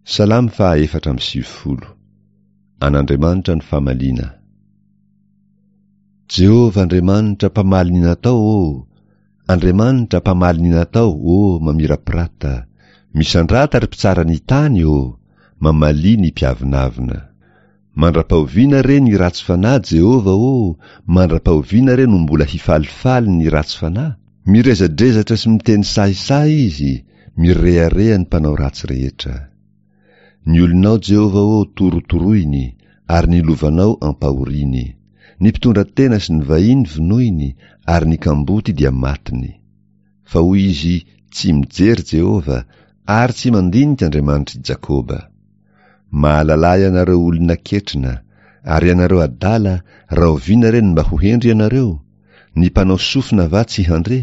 Salamo faha 94. An'Andriamanitra ny famaliana. Jehovah Andriamanitra mpamaly ny natao ô, Andriamanitra mpamaly ny natao ô mamirapirata, misandrata ry mpitsara ny tany ô, mamalia ny mpiavonavona. Mandra-pahoviana re ny ratsy fanahy Jehovah ô, mandra-pahoviana re no mbola hifalifaly ny ratsy fanahy? Mirezadrezatra sy miteny sahisahy izy, mirehareha ny mpanao ratsy rehetra. Ny olonao Jehovah ô torotoroiny, ary ny lovanao ampahoriany. Ny mpitondra tena sy ny vahiny vonoiny, ary ny kamboty dia matiny. Fa hoy izy, Tsy mijery Jehovah, ary tsy mandinika Andriamanitr'i Jakoba. Mahalalà ianareo olona ketrina, ary ianareo adala, rahoviana re no mba ho hendry ianareo? Ny mpanao sofina va tsy handre?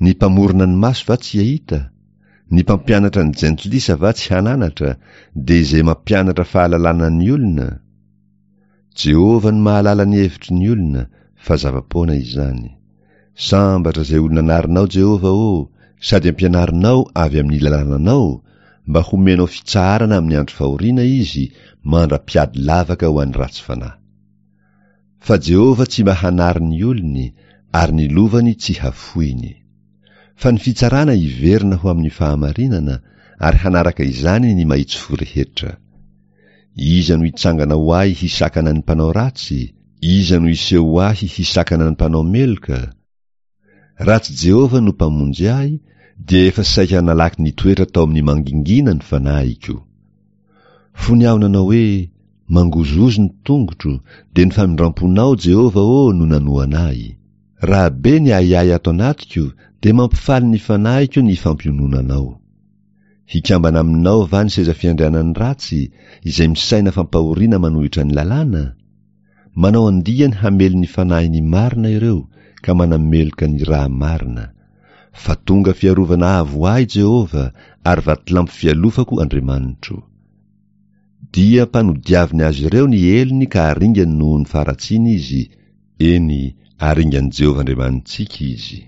Ny mpamorona ny maso va tsy hahita? Ny mpampianatra ny jentilisa va tsy hananatra, dia izay mampianatra fahalalana ny olona? Jehovah no mahalala ny hevitry ny olona, fa zava-poana izany. Sambatra izay olona anarinao, Jehovah ô, sady ampianarinao avy amin'ny lalànanao, mba homenao fitsaharana amin'ny andro fahoriana izy, mandra-piady lavaka ho an'ny ratsy fanahy. Fa Jehovah tsy mba hanary ny olony, ary ny lovany tsy hafoiny. Fa ny fitsarana hiverina ho amin'ny fahamarinana, ary hanaraka izany ny mahitsy fo rehetra. Iza no hitsangana ho ahy hisakana ny mpanao ratsy? Iza no hiseho ho ahy hisakana ny mpanao meloka? Raha tsy Jehovah no Mpamonjy ahy, dia efa saika nalaky nitoetra tao amin'ny mangingina ny fanahiko. Fony aho nanao hoe, Mangozohozo ny tongotro, dia ny famindram-ponao, Jehovah ô, no nanohana ahy. Raha be ny ahiahy ato anatiko, dia mampifaly ny fanahiko ny fampiononanao. Hikambana aminao va ny seza fiandrianan'ny ratsy, izay misaina fampahoriana manohitra ny lalàna? Manao andiany hamely ny fanahin'ny marina ireo, ka manameloka ny ra marina. Fa tonga fiarovana avo ahy Jehovah, ary vatolampy fialofako Andriamanitro. Dia mpanodiaviny azy ireo ny helony ka aringany noho ny faharatsiany izy, eny, aringan'i Jehovah Andriamanitsika izy.